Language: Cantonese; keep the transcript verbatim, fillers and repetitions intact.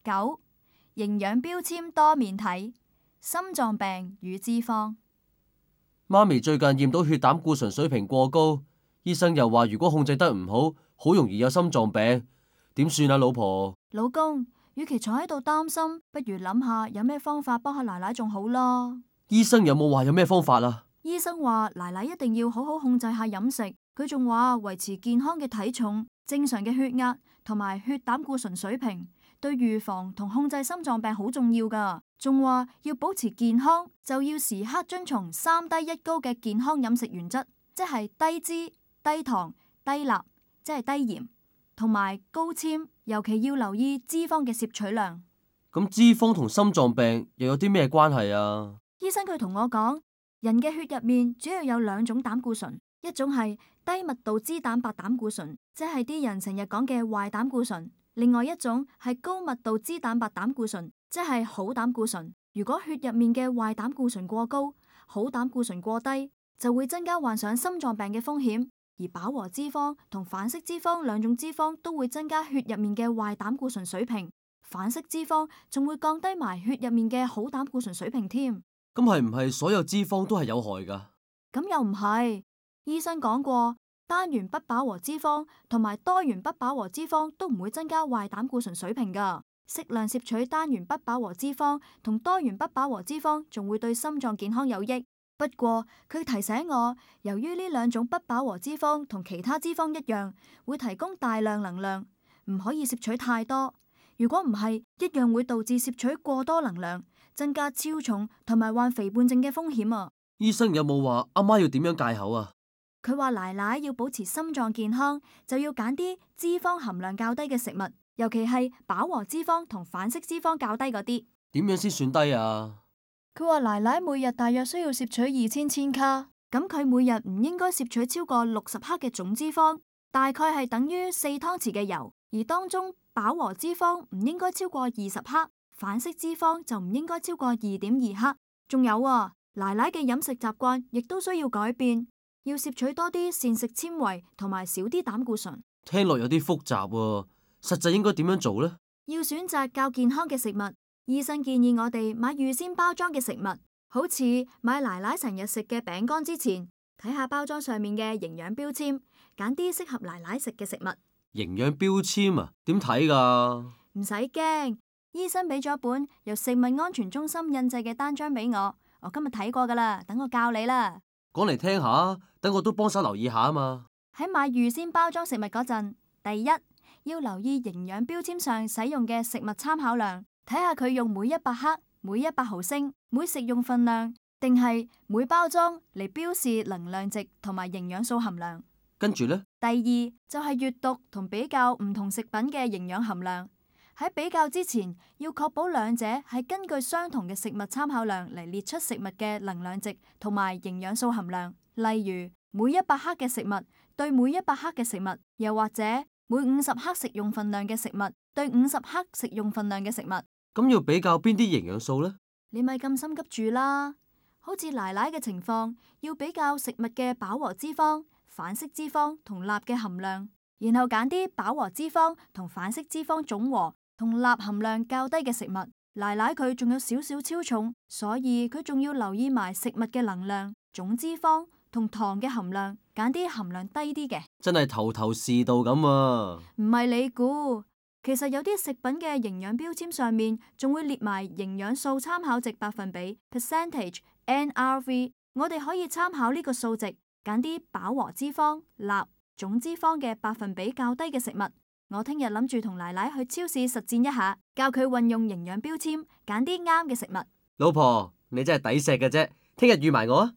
九、營養標籤多面睇，心臟病與脂肪。媽咪最近驗到血膽固醇水平過高，醫生又話如果控制得唔好，好容易有心臟病。點算啊，老婆？老公，與其坐喺度擔心，不如諗下有咩方法幫下奶奶仲好啦。醫生有冇話有咩方法啊？醫生話奶奶一定要好好控制下飲食，佢仲話維持健康嘅體重、正常嘅血壓同埋血膽固醇水平，對預防同控制心臟病好重要噶。仲話要保持健康，就要時刻遵從三低一高嘅健康飲食原則，即係低脂、低糖、低鈉，即係低鹽，同埋高纖，尤其要留意脂肪嘅攝取量。咁脂肪同心臟病又有啲咩關係啊？醫生佢同我講，人嘅血入面主要有兩種膽固醇，一種係低密度脂蛋白膽固醇，即係啲人成日講嘅壞膽固醇；另外一種係高密度脂蛋白膽固醇，即係好膽固醇。如果血入面嘅壞膽固醇過高，好膽固醇過低，就會增加患上心臟病嘅風險。而飽和脂肪同反式脂肪兩種脂肪都會增加血入面嘅壞膽固醇水平，反式脂肪仲會降低埋血入面嘅好膽固醇水平添。咁係唔係所有脂肪都係有害噶？咁又唔係，醫生講過，單元不飽和脂肪同埋多元不飽和脂肪都唔會增加壞膽固醇水平噶。適量攝取單元不飽和脂肪同多元不飽和脂肪，仲會對心臟健康有益。不過佢提醒我，由於呢兩種不飽和脂肪同其他脂肪一樣，會提供大量能量，唔可以攝取太多。如果唔係，一樣會導致攝取過多能量，增加超重同埋患肥胖症嘅風險啊！醫生有冇話阿媽要點樣戒口啊？佢話奶奶要保持心臟健康，就要揀啲脂肪含量較低嘅食物，尤其係飽和脂肪同反式脂肪較低嗰啲。點樣先算低啊？佢話奶奶每日大約需要攝取二千千卡，咁佢每日唔應該攝取超過六十克嘅總脂肪，大概係等於四湯匙嘅油，而當中飽和脂肪唔應該超過二十克，反式脂肪就唔應該超過二點二克。仲有啊，奶奶嘅飲食習慣亦都需要改變，要攝取多啲膳食纖維同埋少啲膽固醇。聽落有啲複雜喎，實際應該點樣做呢？要選擇較健康嘅食物。醫生建議我哋買預先包裝嘅食物，好似買奶奶成日食嘅餅乾之前，睇下包裝上面嘅營養標籤，揀啲適合奶奶食嘅食物。營養標籤啊，點睇噶？唔使驚，醫生俾咗本由食物安全中心印製嘅單張俾我，我今日睇過噶啦，等我教你啦。講嚟聽下，等我都幫手留意下啊嘛。喺買預先包裝食物嗰陣，第一要留意營養標籤上使用嘅食物參考量。睇下佢用每一百克、每一百毫升、每食用份量，定係每包裝嚟標示能量值同埋營養素含量。跟住呢，第二就係閱讀同比較唔同食品嘅營養含量。喺比較之前，要確保兩者係根據相同嘅食物參考量嚟列出食物嘅能量值同埋營養素含量。例如，每一百克嘅食物對每一百克嘅食物，又或者每五十克食用份量嘅食物對五十克食用份量嘅食物。咁要比較邊啲營養素呢？你咪咁心急住啦！好似奶奶嘅情況，要比較食物嘅飽和脂肪、反式脂肪同鈉嘅含量，然後揀啲飽和脂肪同反式脂肪總和同鈉含量較低嘅食物。奶奶佢仲有少少超重，所以佢仲要留意埋食物嘅能量、總脂肪同糖嘅含量，揀啲含量低啲嘅。真係頭頭是道咁啊！唔係你估。其實有啲食品嘅營養標籤上面仲會列埋營養素參考值百分比 percentage N R V， 我哋可以參考呢個數值，揀啲飽和脂肪、鈉、總脂肪嘅百分比較低嘅食物。我聽日諗住同奶奶去超市實踐一下，教佢運用營養標籤，揀啲啱嘅食物。老婆，你真係抵錫嘅啫，聽日預埋我啊！